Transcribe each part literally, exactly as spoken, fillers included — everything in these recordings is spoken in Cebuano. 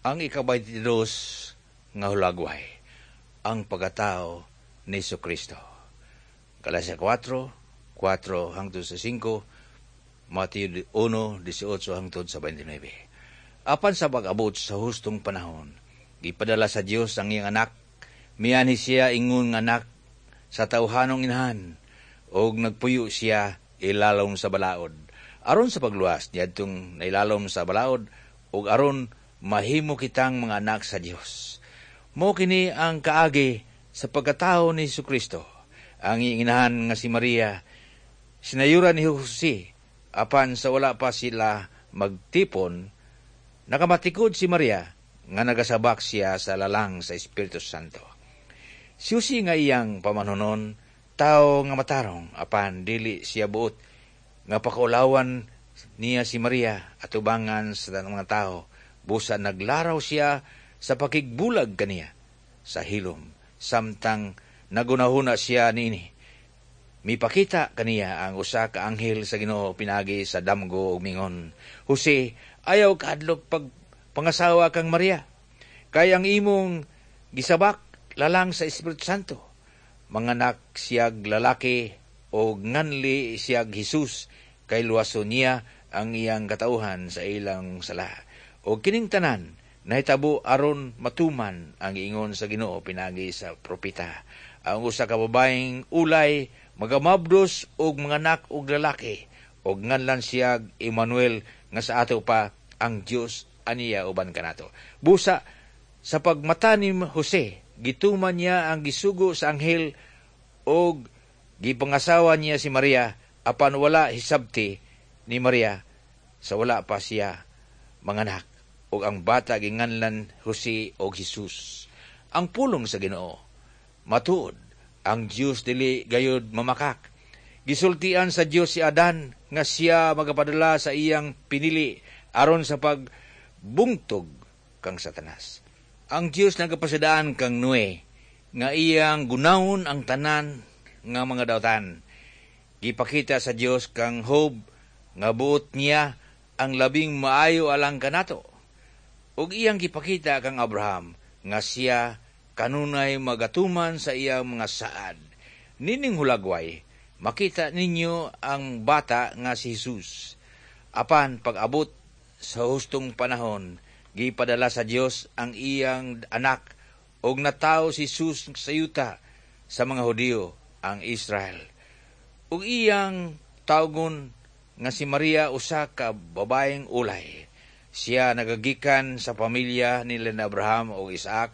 Ang ikabayntidos nga hulagway, ang pagkatao ni Kristo. Galacia kwatro, kwatro hangtod sa singko, Mateo uno, diesotso hangtod sa beinte nuebe. Apan sa pag-abot sa hustong panahon, gipadala sa Dios ang iyang anak, mianhi siya ingon nga anak sa tawhanong inahan, og nagpuyo siya ilalom sa balaod. Aron sa pagluwas niadtong nailalom sa balaod, ug aron mahimo kitang mga anak sa Dios. Mao kini ang kaagi sa pagkatao ni Kristo. Ang iyang inahan nga si Maria, sinayuran ni Jose, apan sa wala pa sila magtipon, nakamatikod si Maria nga nagasabak siya sa lalang sa Espiritu Santo. Si Jose nga iyang pamanhonon, tao nga matarong, apan dili siya buot nga pakaulawan niya si Maria atubangan sa mga tao. Busa naglaraw siya sa pakigbulag kaniya sa hilom, samtang nagunahuna siya niini. Mipakita kaniya ang usa ka anghel sa Ginoo pinaagi sa damgo ug mingon, "Jose, ayaw kahadlok pag pangasawa kang Maria, kay ang imong gisabak lalang sa Espiritu Santo. Manganak siyag lalaki og nganli siyag Jesus, kay luwason niya ang iyang katawhan sa ilang sala." O kining tanan nahitabo aron matuman ang ingon sa Ginoo pinaagi sa propeta. "Ang usa ka babaeng ulay magamabdos og manganak og lalaki og nganlan siya Emmanuel, nga sa ato pa ang Dios aniya uban kanato." Busa sa pagmata ni Jose, gituman niya ang gisugo sa anghel og gipangasawa niya si Maria, apan wala hisabti ni Maria sa wala pa siya manganak, ug ang bata ginganlan Jose og Jesus. Ang pulong sa Ginoo. Matuod, ang Dios dili gayud mamakak. Gisultian sa Dios si Adan nga siya magapadala sa iyang pinili aron sa pagbungtog kang Satanas. Ang Dios nagapasidaan kang Noe nga iyang gunawon ang tanan nga mga dautan. Gipakita sa Dios kang Job nga buot niya ang labing maayo alang kanato. Ug iyang gipakita kang Abraham nga siya kanunay magatuman sa iyang mga saad. Nining hulagway, makita ninyo ang bata nga si Jesus. Apan pag-abot sa hustong panahon, gipadala sa Dios ang iyang anak ug natawo si Jesus sa yuta sa mga Hudiyo, ang Israel. Ug iyang tawgon nga si Maria, usa ka babaeng ulay. Siya nagagikan sa pamilya nila ni Abraham ug Isaac,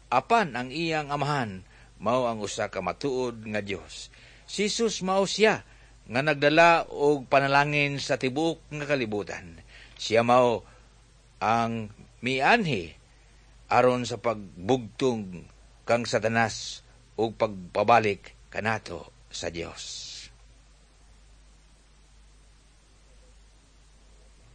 apan ang iyang amahan mao ang usa ka matuod nga Dios. Si Jesus mao siya nga nagdala og panalangin sa tibuok nga kalibutan. Siya mao ang mianhi aron sa pagbugtong kang Satanas ug pagpabalik kanato sa Dios.